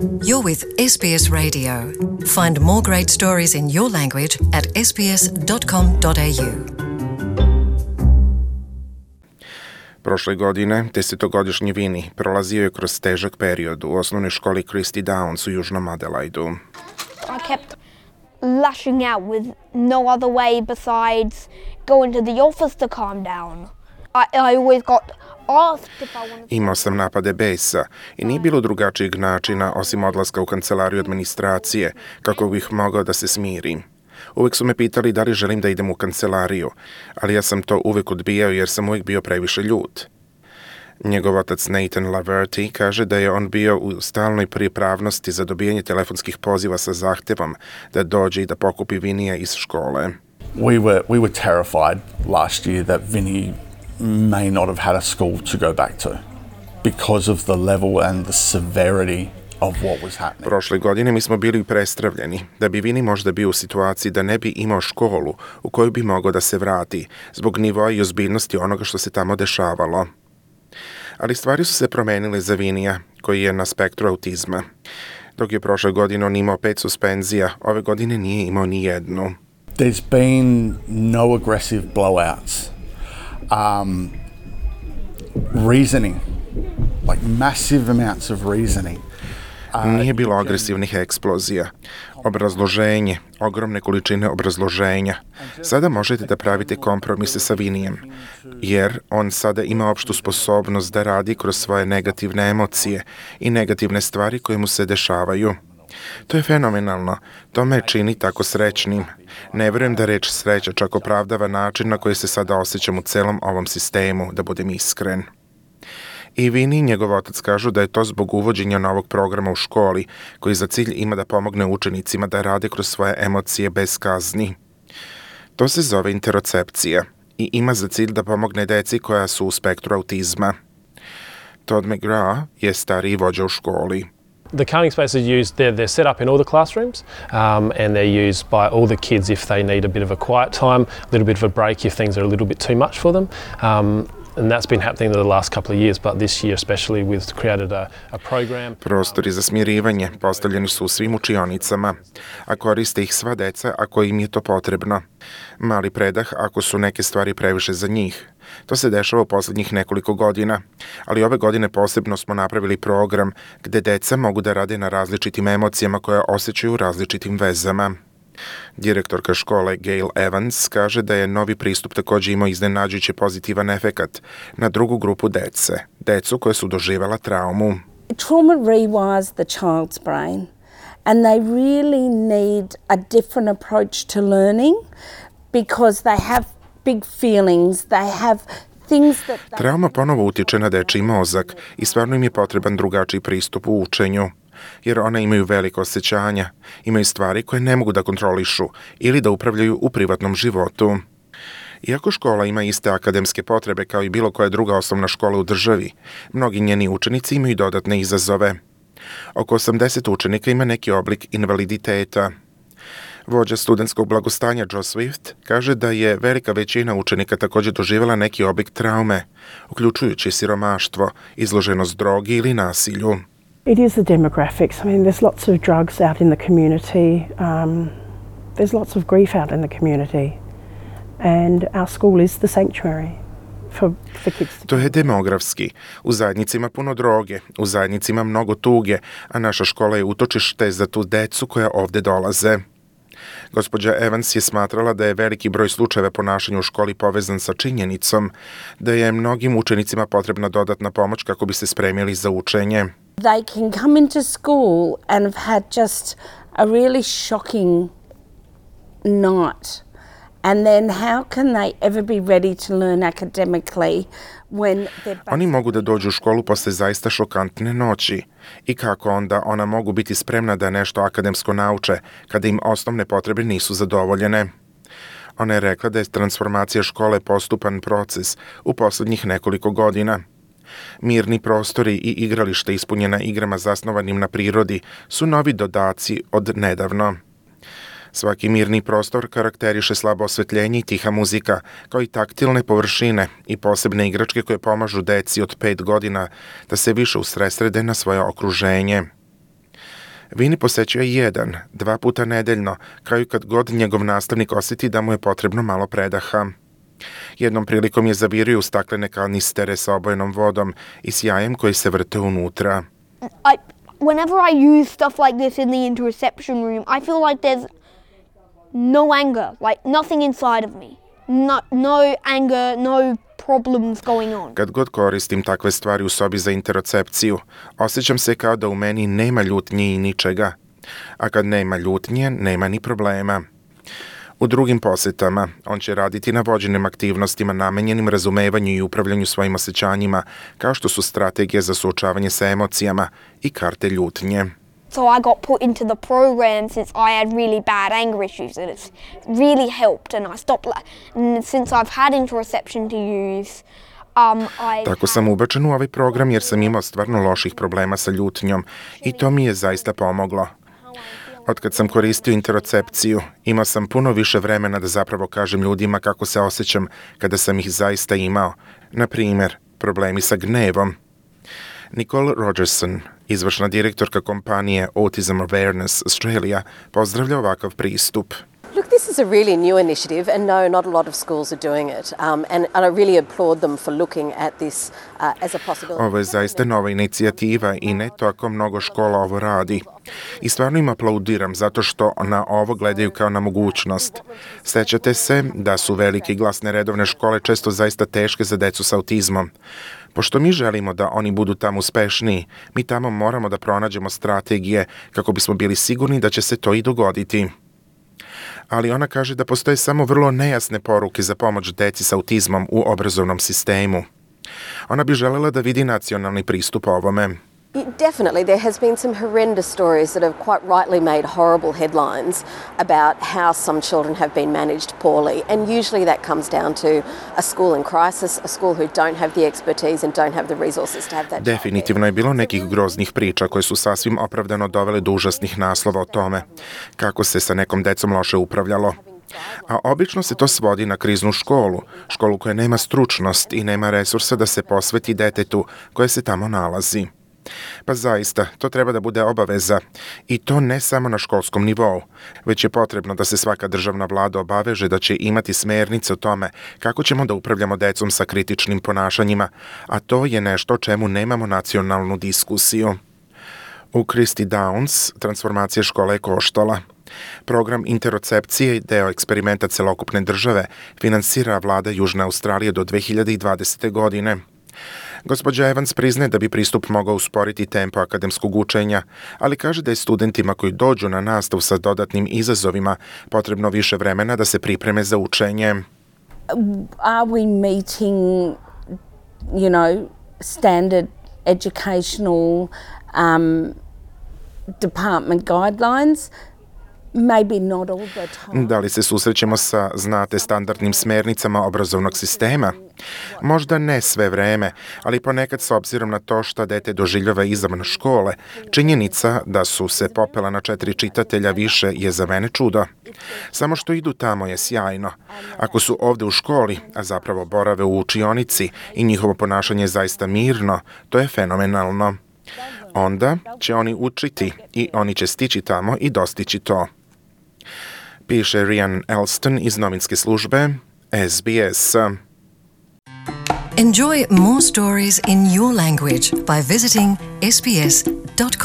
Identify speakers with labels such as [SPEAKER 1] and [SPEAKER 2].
[SPEAKER 1] You're with SBS Radio. Find more great stories in your language at sbs.com.au.
[SPEAKER 2] Prošle godine, 10-godišnji Vinny prolazio je kroz težak period u osnovnoj školi Christy Downs u južnom Adelaidu.
[SPEAKER 3] I kept lashing out with no other way besides going to the office to calm down. I always got asked if I wanted to...
[SPEAKER 2] Imao sam napade besa i nije bilo drugačijeg načina osim odlaska u kancelariju administracije kako bih mogao da se smirim. Uvijek su me pitali da li želim da idem u kancelariju, ali ja sam to uvijek odbijao jer sam uvijek bio previše ljut. Njegov otac Nathan Laverty kaže da je on bio u stalnoj pripravnosti za dobijanje telefonskih poziva sa zahtjevom da dođe i da pokupi Vinija iz škole.
[SPEAKER 4] We were terrified last year that Vinny may not have had a school to go back to because of the level and the severity of what was happening.
[SPEAKER 2] Prošle godine mi smo bili prestravljeni da bi Vinny možda bio u situaciji da ne bi imao školu u koju bi mogao da se vrati zbog nivoa i ozbiljnosti onoga što se tamo dešavalo. Ali stvari su se promenile za Vinija, koji je na spektru autizma. Dok je prošle godine on imao 5 suspenzija, ove godine nije imao ni jednu.
[SPEAKER 4] There's been no aggressive blowouts. Reasoning, like massive amounts of reasoning.
[SPEAKER 2] Nije bilo agresivnih eksplozija. Obrazloženje, ogromne količine obrazloženja. Sada možete da pravite kompromise sa Vinijem, jer on sada ima opštu sposobnost da radi kroz svoje negativne emocije i negativne stvari koje mu se dešavaju. To je fenomenalno. To me čini tako srećnim. Ne vjerujem da reč sreća čak opravdava način na koji se sada osjećam u celom ovom sistemu, da budem iskren. I Vinny i njegov otac kažu da je to zbog uvođenja novog programa u školi, koji za cilj ima da pomogne učenicima da rade kroz svoje emocije bez kazni. To se zove interocepcija i ima za cilj da pomogne deci koja su u spektru autizma. Todd McGrath je stariji vođa u školi.
[SPEAKER 5] The calming spaces are used, they're set up in all the classrooms and they're used by all the kids if they need a bit of a quiet time, a little bit of a break if things are a little bit too much for them. And that's been happening the last couple of years, but this year especially we've created a program.
[SPEAKER 2] Prostori za smirivanje postavljeni su u svim učionicama, a koriste ih sva deca ako im je to potrebno. Mali predah ako su neke stvari previše za njih. To se dešava u posljednjih nekoliko godina, ali ove godine posebno smo napravili program gde deca mogu da rade na različitim emocijama koje osjećaju u različitim vezama. Direktorka škole Gail Evans kaže da je novi pristup također imao iznenađujuće pozitivan efekat na drugu grupu dece, decu koje su doživjela traumu.
[SPEAKER 6] Trauma rewires the child's brain and they really need a different approach to learning because they have big feelings, they have things that...
[SPEAKER 2] Trauma ponovo utiče na dečiji mozak i stvarno im je potreban drugačiji pristup u učenju, jer one imaju veliko osjećanja, imaju stvari koje ne mogu da kontrolišu ili da upravljaju u privatnom životu. Iako škola ima iste akademske potrebe kao i bilo koja druga osnovna škola u državi, mnogi njeni učenici imaju dodatne izazove. Oko 80 učenika ima neki oblik invaliditeta. Vođa studentskog blagostanja Joe Swift kaže da je velika većina učenika također doživjela neki oblik traume, uključujući siromaštvo, izloženost drogi ili nasilju.
[SPEAKER 7] It is the demographics. I mean, there's lots of drugs out in the community. There's lots of grief out in the community. And our school is the sanctuary for kids.
[SPEAKER 2] To je demografski. U zajednici ima puno droge, u zajednici ima mnogo tuge, a naša škola je utočište za tu decu koja ovdje dolaze. Gospođa Evans je smatrala da je veliki broj slučajeva ponašanja u školi povezan sa činjenicom da je mnogim učenicima potrebna dodatna pomoć kako bi se spremili za učenje.
[SPEAKER 6] They can come into school and have had just a really shocking night. And then how can they ever be ready to learn academically when they're...
[SPEAKER 2] Oni mogu da dođu u školu posle zaista šokantne noći. I kako onda ona mogu biti spremna da nešto akademsko nauče kada im osnovne potrebe nisu zadovoljene? Ona je rekla da je transformacija škole postupan proces u posljednjih nekoliko godina. Mirni prostori i igralište ispunjena igrama zasnovanim na prirodi su novi dodaci od nedavno. Svaki mirni prostor karakteriše slabo osvetljenje i tiha muzika, kao i taktilne površine i posebne igračke koje pomažu deci od 5 godina da se više usredsrede na svoje okruženje. Vini posećuje 1-2 puta nedeljno, kao i kad god njegov nastavnik osjeti da mu je potrebno malo predaha. Jednom prilikom je zavirio u staklene kanistere sa obojenom vodom i s jajem koji se vrte unutra.
[SPEAKER 3] Whenever I use stuff like this in the interoception room, I feel like there's no anger, like nothing inside of me. No anger, no problems going on.
[SPEAKER 2] Kad god koristim takve stvari u sobi za interocepciju, osjećam se kao da u meni nema ljutnje i ničega. A kad nema ljutnje, nema ni problema. U drugim posjetama, on će raditi na vođenim aktivnostima namenjenim razumevanju i upravljanju svojim osjećanjima, kao što su strategije za suočavanje sa emocijama i karte ljutnje.
[SPEAKER 3] So I got put into the program since I had really bad anger issues, and it's really helped, and I stopped and since I've had interoception to use.
[SPEAKER 2] Tako sam ubačen u ovaj program jer sam imao stvarno loših problema sa ljutnjom i to mi je zaista pomoglo. Otkad sam koristio interocepciju, imao sam puno više vremena da zapravo kažem ljudima kako se osjećam kada sam ih zaista imao. Na primjer, problemi sa gnevom. Nicole Rogerson, izvršna direktorka kompanije Autism Awareness Australia, pozdravlja ovakav pristup.
[SPEAKER 8] Look, this is a really new initiative, and no, not a lot of schools are doing it. And I really applaud them for looking at this as a possibility.
[SPEAKER 2] Ovo je zaista nova inicijativa i ne tako mnogo škola ovo radi. I stvarno im aplaudiram zato što na ovo gledaju kao na mogućnost. Sećate se da su velike i glasne redovne škole često zaista teške za decu sa autizmom. Pošto mi želimo da oni budu tamo uspešniji, mi tamo moramo da pronađemo strategije kako bismo bili sigurni da će se to i dogoditi. Ali ona kaže da postoje samo vrlo nejasne poruke za pomoć deci sa autizmom u obrazovnom sistemu. Ona bi želela da vidi nacionalni pristup ovome.
[SPEAKER 8] Definitely, there has been some horrendous stories that have quite rightly made horrible headlines about how some children have been managed poorly, and usually that comes down to a school in crisis, a school who don't have the expertise and don't have the resources to have that.
[SPEAKER 2] Definitivno je bilo nekih groznih priča koje su sasvim opravdano dovele do užasnih naslova o tome kako se sa nekom decom loše upravljalo. A obično se to svodi na kriznu školu koja nema stručnost i nema resursa da se posveti detetu koje se tamo nalazi. Pa zaista, to treba da bude obaveza i to ne samo na školskom nivou, već je potrebno da se svaka državna vlada obaveže da će imati smernice o tome kako ćemo da upravljamo decom sa kritičnim ponašanjima, a to je nešto o čemu nemamo nacionalnu diskusiju. U Christie Downs transformacija škole je koštala. Program interocepcije i deo eksperimenta celokupne države finansira vlada Južne Australije do 2020. godine. Gospođa Evans priznaje da bi pristup mogao usporiti tempo akademskog učenja, ali kaže da je studentima koji dođu na nastavu sa dodatnim izazovima potrebno više vremena da se pripreme za učenje.
[SPEAKER 6] Are we meeting, standard educational department guidelines? Maybe not all the time.
[SPEAKER 2] Da li se susrećemo sa, standardnim smernicama obrazovnog sistema? Možda ne sve vreme, ali ponekad s obzirom na to šta dete doživljava izvan škole, činjenica da su se popela na 4 čitatelja više je za mene čudo. Samo što idu tamo je sjajno. Ako su ovde u školi, a zapravo borave u učionici i njihovo ponašanje je zaista mirno, to je fenomenalno. Onda će oni učiti i oni će stići tamo i dostići to. Piše Rhian Elston iz novinske službe SBS.
[SPEAKER 1] Enjoy more stories in your language by visiting sbs.com.au.